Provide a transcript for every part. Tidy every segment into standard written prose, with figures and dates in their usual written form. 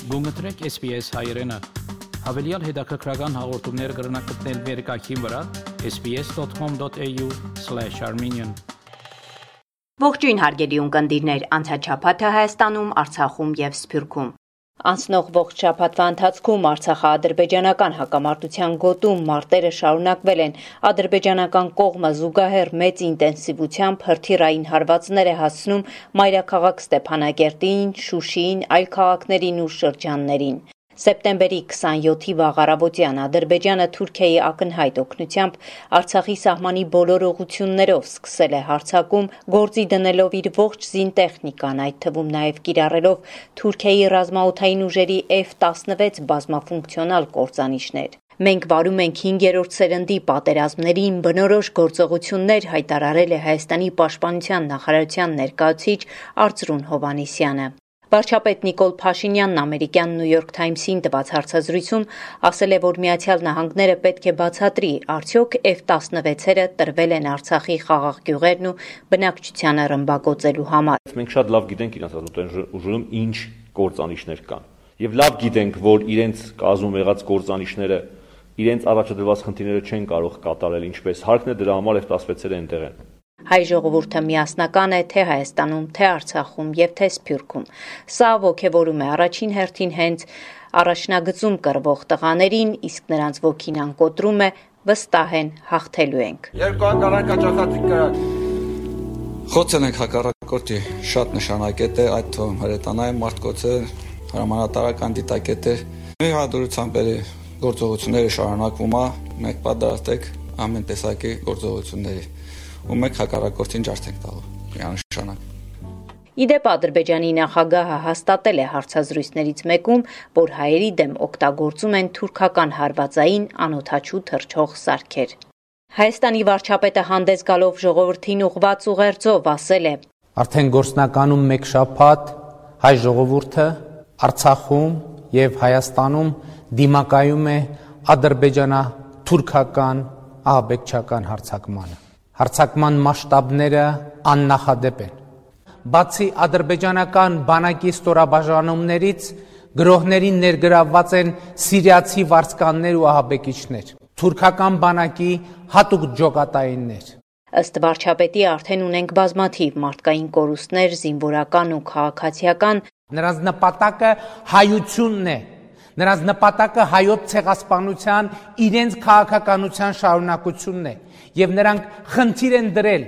Գումտրեք SPS հայրենը։ Հավելյալ հետաքրքրական հաղորդումներ կգրնակցնել վերկայքին վրա sbs.com.au/armenian Ողջույն հարգելի ունկնդիրներ, անցած շաբաթը Հայաստանում, Արցախում եւ Սփյուռքում։ Անցնող ողջ շաբաթվա ընթացքում Արցախա-ադրբեջանական հակամարտության գոտում մարտերը շարունակվել են։ Ադրբեջանական կողմը զուգահեռ մեծ ինտենսիվությամբ հրթիռային հարվածներ է հասցնում մայրաքաղաք Ստեփանագերտին, Շուշիին, այլ քաղաքներին ու շրջաններին։ Սեպտեմբերի 27-ի վաղ առավոտյան Ադրբեջանը Թուրքիայի ակնհայտ օգնությամբ Արցախի սահմանի բոլոր ուղղություններով սկսել է հարձակում, գործի դնելով իր ողջ զինտեխնիկան, այդ թվում նաև կիրառելով Թուրքիայի ռազմաօդային ուժերի F-16 բազմաֆունկցիոնալ կործանիչներ։ Մենք վարում ենք 5-րդ սերնդի պատերազմներին բնորոշ գործողություններ, հայտարարել է Հայաստանի պաշտպանության նախարարության ներկայացուցիչ Արծրուն Հովհաննիսյանը։ Վարչապետ Նիկոլ Փաշինյանն ամերիկյան New York Times-ին տված հարցազրույցում ասել է, որ Միացյալ Նահանգները պետք է բացատրի, արդյոք F-16-երը տրվել են Արցախի խաղաղ գյուղերն ու բնակչությանը ռմբակոծելու համար։ Մենք շատ լավ գիտենք իրենց ռազմաօդային ուժերում ինչ կործանիչներ կան։ Եվ լավ գիտենք, որ իրենց կազմում եղած կործանիչները իրենց առաջադրված խնդիրները չեն կարող կատարել ինչպես հարկն է, դրա համար F-16-երը այնտեղ են։ Հայ ժողովուրդը միասնական է թե Հայաստանում, թե Արցախում եւ թե Սփյուռքում։ Սա ոգևորում է առաջին հերթին հենց առաջնագծում կռվող տղաներին, իսկ նրանց ոգին անկոտրում է, վստահ են հաղթելու ենք։ Երկու անգամ կաճախացիկ կրակ։ Խոցել ենք հակառակորդի շատ նշանակետ է, այդ թվում հրետանային մարտկոցը, հրամանատարական դիտակետ է։ Մեր հաջողությամբ գործողությունները շարունակվում է, մենք պատրաստ ենք ամեն տեսակի գործողությունների։ Ու մենք հակառակորդին ջարդ ենք տալու, միանշանակ։ Իդեպ Ադրբեջանի նախագահը հաստատել է հարցազրույցներից մեկում, որ հայերի դեմ օգտագործում են թուրքական հարվածային անօդաչու թռչող սարքեր։ Հայաստանի վարչապետը հանդես գալով ժողովրդին ուղղված ուղերձով ասել է. Արդեն գործնականում մեկ շաբաթ հայ ժողովուրդը Արցախում եւ Հայաստանում դիմակայում է ադրբեջանա-թուրքական ահաբեկչական հարձակմանը։ Հարձակման մասշտաբները աննախադեպ են։ Բացի ադրբեջանական բանակի ստորաբաժանումներից գրոհներին ներգրավված են սիրիացի վարձկաններ ու ահաբեկիչներ, թուրքական բանակի հատուկ ջոկատայիններ։ Ըստ վարչապետի արդեն ունենք բազմաթիվ մարդկային կորուստներ, զինվորական ու քաղաքացիական։ Նրանց նպատակը հայությունն է։ Նրանց նպատակը հայոց ցեղասպանության իրենց քաղաքականության շարունակությունն է եւ նրանք խնդիր են դրել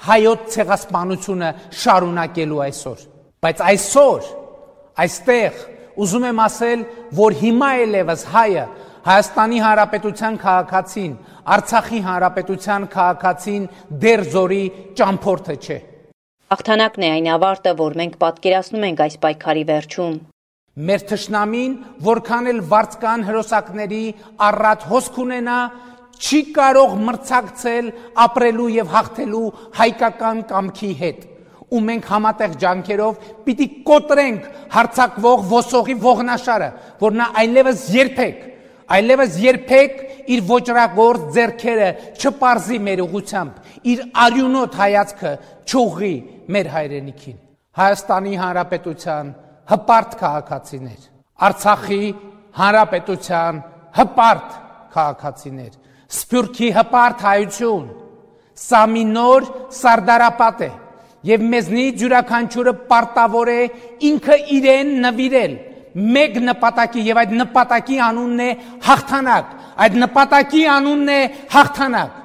հայոց ցեղասպանությունը շարունակելու այսօր։ Բայց այսօր այստեղ ուզում եմ ասել, որ հիմա ելևս հայը Հայաստանի Հանրապետության քաղաքացին, Արցախի Հանրապետության քաղաքացին դեռ զորի ճամփորդը չէ։ Հաղթանակն է այն ավարտը, որ մենք պատկերացնում ենք այս պայքարի վերջում։ Մեր թշնամին, որքան էլ վարձկան հրոսակների առատ հոսք ունենա, չի կարող մրցակցել ապրելու եւ հաղթելու հայկական կամքի հետ։ Ու մենք համատեղ ջանքերով պիտի կոտրենք հարձակվող ոսողի ողնաշարը, որ նա այլևս երբեք իր ոճրագործ ձեռքերը չպարզի մեր ուղությամբ, իր արյունոտ հայացքը չուղղի մեր հայրենիքին։ Հայաստանի Հանրապետության հպարտ քաղաքացիներ, Արցախի Հանրապետության հպարտ քաղաքացիներ, Սփյուռքի հպարտ հայություն, սա մի նոր սարդարապատ է եւ մեզնից յուրաքանչյուրը պարտավոր է ինքը իրեն նվիրել մեկ նպատակի եւ այդ նպատակի անունն է հաղթանակ, այդ նպատակի անունն է հաղթանակ։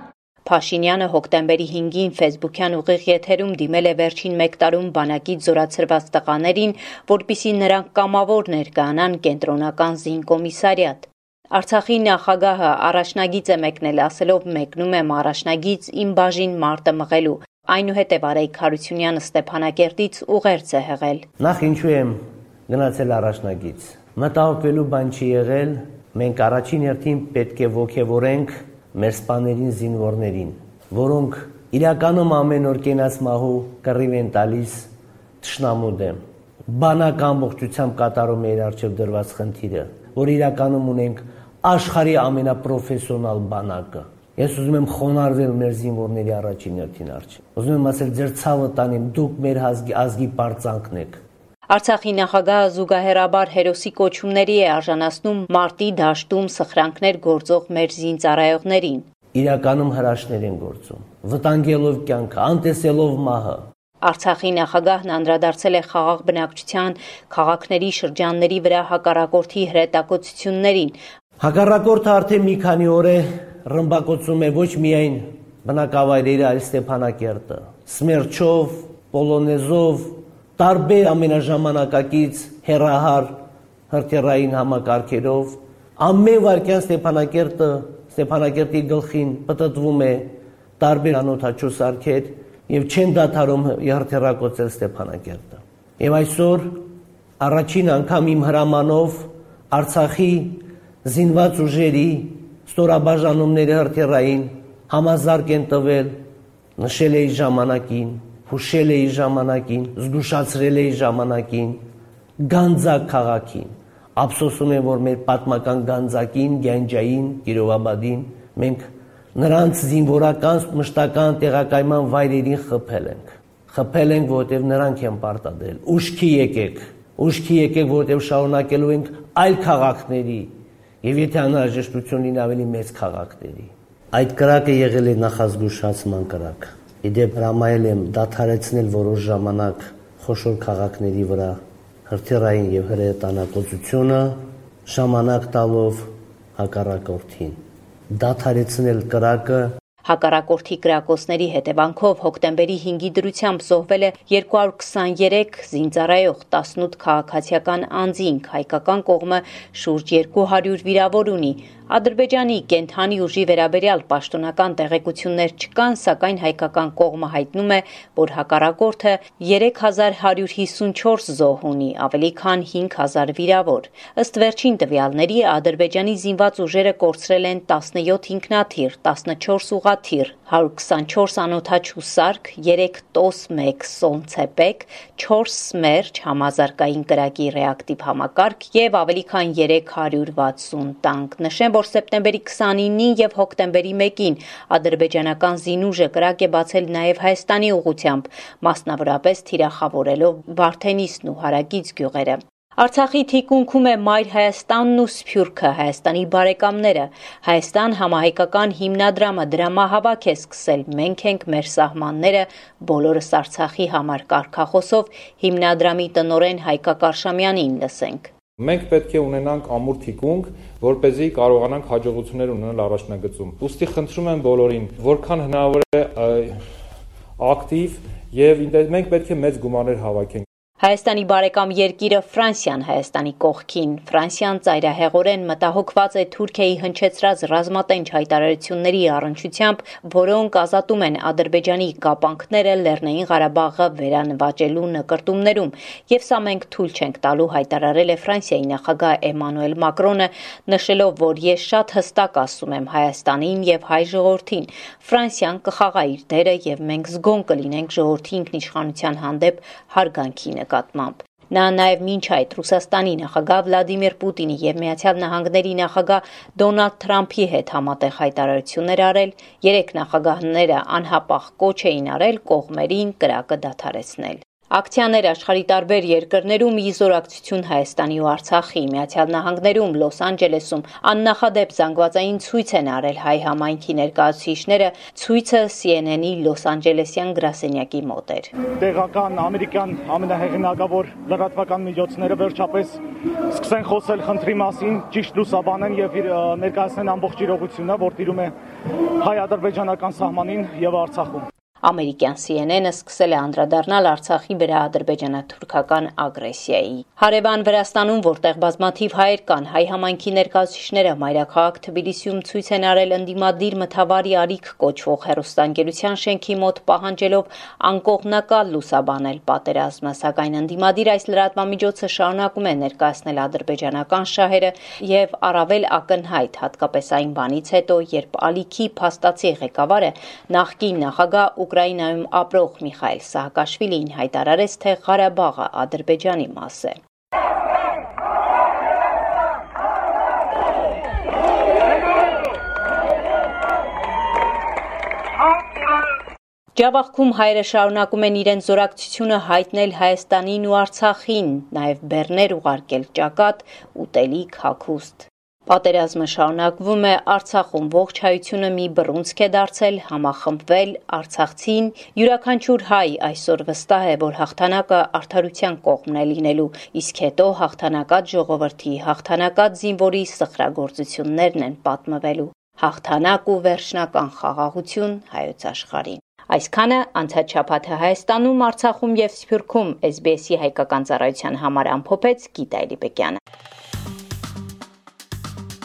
Փաշինյանը հոկտեմբերի 5-ին ֆեյսբուքյան ուղիղ եթերում դիմել է վերջին մեկ տարում բանակից զորացրված տղաներին, որպիսի նրանք կամավոր ներկայանան կենտրոնական զինկոմիսարիատ։ Արցախի նախագահը առաջնագիծ է մեկնել, ասելով մեկնում եմ առաջնագիծ իմ բաժին մարտը մղելու։ Այնուհետև Արայիկ Հարությունյանը Ստեփանագերտից ուղերձ է հղել։ Նախ ինչու եմ գնացել առաջնագիծ։ Մտահոգվելու բան չի եղել, մենք առաջին հերթին պետք է ոգևորենք մեր սպաներին, զինվորներին, որոնք իրականում ամեն օր կենաց մահու կռիվ են տալիս թշնամու դեմ։ Բանակ ամբողջությամբ կատարում է իր առջև դրված խնդիրը, որ իրականում ունենք աշխարհի ամենապրոֆեսիոնալ բանակը։ Ես ուզում եմ խոնարհվել մեր զինվորների առաջին հերթին առջև։ Ուզում եմ ասել, ձեր ցավը տանեմ, դուք մեր ազգի պարծանքն եք։ Արցախի նախագահը զուգահեռաբար հերոսի կոչումների է արժանացնում մարտի դաշտում սխրանքներ գործող մեր զինծառայողներին։ Իրականում հրաշքներ են գործում, վտանգելով կյանքը, անտեսելով մահը։ Արցախի նախագահն անդրադարձել է խաղաղ բնակչության քաղաքների շրջանների վրա հակառակորդի հրետակոծություններին։ Հակառակորդը արդեն մի քանի օր է ռմբակոծում է ոչ միայն բնակավայրերը, այլ Ստեփանակերտը, Սմերչով, Պոլոնեզով, տարբեր ամենաժամանակակից հեռահար հրթիռային համակարգերով, ամեն վայրկյան Ստեփանակերտի գլխին պտտվում է տարբեր անօդաչու սարքեր եւ չեն դադարում հրթիռակոծել Ստեփանակերտը։ Եվ այսօր առաջին անգամ իմ հրամանով Արցախի զինված ուժերի ստորաբաժանումների հրթիռային համազարգ են տվել, նշել էի ժամանակին, հուշել էի ժամանակին, զգուշացրել էի ժամանակին, Գանձակ քաղաքին։ Ափսոսում եմ, որ մեր պատմական Գանձակին, Գյանջային, Կիրովաբադին մենք նրանց զինվորական, մշտական տեղակայման վայրերին խփել ենք, որովհետև նրանք են պարտադրել։ Ուշքի եկեք, որովհետև շարունակելու ենք այլ քաղաքների եւ եթե անհրաժեշտություն լինի ավելի մեծ քաղաքների։ Այդ կրակը եղել է նախազգուշացման կրակ։ Իդեպ հրամայել եմ դադարեցնել որոշ ժամանակ խոշոր քաղաքների վրա հրթիռային եւ հրետանակոծությունը, ժամանակ տալով հակառակորդին։ Դադարեցնել կրակը։ Հակառակորդի կրակոցների հետևանքով հոկտեմբերի 5-ի դրությամբ զոհվել է 223 զինծառայող, 18 քաղաքացիական անձինք, հայկական կողմը շուրջ 200 վիրավոր ունի։ Ադրբեջանի կենթանի ուժի վերաբերյալ պաշտոնական տեղեկություններ չկան, սակայն հայկական կողմը հայտնում է, որ հակառակորդը 3154 զոհ ունի, ավելի քան 5000 վիրավոր։ Ըստ վերջին տվյալների, Ադրբեջանի զինված ուժերը կորցրել են 17 ինքնաթիռ, 14 ուղղաթիռ, 124 անօդաչու սարք, 3 տոս 1 սոնցեպեկ, 4 սմերջ համազարգային կրակի ռեակտիվ համակարգ եւ ավելի քան 360 տանկ։ Նշեմ, որ սեպտեմբերի 29-ին եւ հոկտեմբերի 1-ին ադրբեջանական զինուժը կրակ է բացել նաեւ Հայաստանի ուղղությամբ, մասնավորապես թիրախավորելով Վարդենիսն ու հարակից գյուղերը։ Արցախի թիկունքում է Մայր Հայաստանն ու Սփյուռքը, Հայաստանի բարեկամները։ Հայաստան համահայկական հիմնադրամը դրամահավաք է սկսել «Մենք ենք, մեր սահմանները, բոլորս Արցախի համար» կարգախոսով հիմնադրամի տնօրեն Հայկա Կարշամյանին լսենք։ Մենք պետք է ունենանք ամուր թիկունք, որպեսզի կարողանանք հաջողություններ ունենալ առաջնագծում։ Ուստի խնդրում եմ բոլորին, որքան հնարավոր է ակտիվ եւ մենք պետք է մեծ գումարներ հավաքենք։ Հայաստանի բարեկամ երկիրը Ֆրանսիան Հայաստանի կողքին։ Ֆրանսիան ծայրահեղորեն մտահոգված է Թուրքիայի հնչեցրած ռազմատենչ հայտարարությունների առնչությամբ, որոնք ազատում են Ադրբեջանի կապանքները Լեռնային Ղարաբաղը վերանվաճելու նկրտումներում, եւ սա մենք թույլ չենք տալու, հայտարարել է Ֆրանսիայի նախագահ Էմանուել Մակրոնը, նշելով, որ ես շատ հստակ ասում եմ Հայաստանին եւ հայ ժողովրդին, Ֆրանսիան կխաղա իր դերը եւ մենք զգոն կլինենք ժողովրդի ինքնիշխանության հանդեպ հարգանքի նկատմամբ։ Նա նաև մինչ այդ Ռուսաստանի նախագահ Վլադիմիր Պուտինի եւ Միացյալ Նահանգների նախագահ Դոնալդ Թրամփի հետ համատեղ հայտարարություններ արել, երեք նախագահները անհապաղ կոչ էին արել կողմերին կրակը դադարեցնել։ Ակցիաներ աշխարհի տարբեր երկրներում իզորակցություն Հայաստանի ու Արցախի, Միացյալ Նահանգներում, Լոս Անջելեսում աննախադեպ զանգվածային ցույց են արել հայ համայնքի ներկայացուցիչները, ցույցը CNN-ի Լոս Անջելեսյան գրասենյակի մոտ էր։ Տեղական ամերիկյան ամենահեղինակավոր լրատվական միջոցները վերջապես սկսեն խոսել խնդրի մասին, ճիշտ լուսաբանեն եւ ներկայացնեն ամբողջ իրողությունը, որ տիրում է հայ-ադրբեջանական սահմանին եւ Արցախում։ Ամերիկյան CNN-ը սկսել է անդրադառնալ Արցախի վրա ադրբեջանա-թուրքական ագրեսիայի։ Հարևան Վրաստանում, որտեղ բազմաթիվ հայեր կան, հայ համայնքի ներկայացուցիչները մայրաքաղաք Թբիլիսիում ցույց են արել ընդդիմադիր մթավարի ալիք կոչվող հեռուստաընկերության շենքի մոտ, պահանջելով անկողմնակալ լուսաբանել պատերազմը, սակայն ընդդիմադիր այս լրատվամիջոցը շարունակում է ներկայացնել ադրբեջանական շահերը եւ առավել ակնհայտ, հատկապես այն բանից հետո, երբ ալիքի փաստացի ղեկավարը նախկին նախագահ Ուկրաինայում ապրող Միխայել Սահակաշվիլին հայտարարեց, թե Ղարաբաղը Ադրբեջանի մաս է։ Ջավախքում հայերը շարունակում են իրենց զորակցությունը հայտնել Հայաստանին ու Արցախին, նաև բեռներ ուղարկել ճակատ, ուտելիք, հագուստ։ Պատերազմը շարունակվում է, Արցախում ողջ հայությունը մի բռունցք է դարձել, համախմբվել, արցախցին, յուրաքանչյուր հայ այսօր վստահ է, որ հաղթանակը արդարության կողմն է լինելու, իսկ հետո հաղթանակած ժողովրդի, հաղթանակած զինվորի սխրագործություններն են պատմվելու։ Հաղթանակ ու վերջնական խաղաղություն հայոց աշխարհին։ Այսքանը անցած շաբաթը Հայաստանում, Արցախում եւ Սփյուռքում SBS-ի հայկական ծառայության համար ամփոփեց Գիտա Էլիբեկյանը։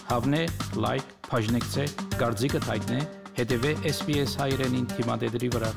Հավնե, լայք, բաժնեկցե, դարձիկը թայտնե, հետեւե SBS հայրենին թիմադեդի վրա։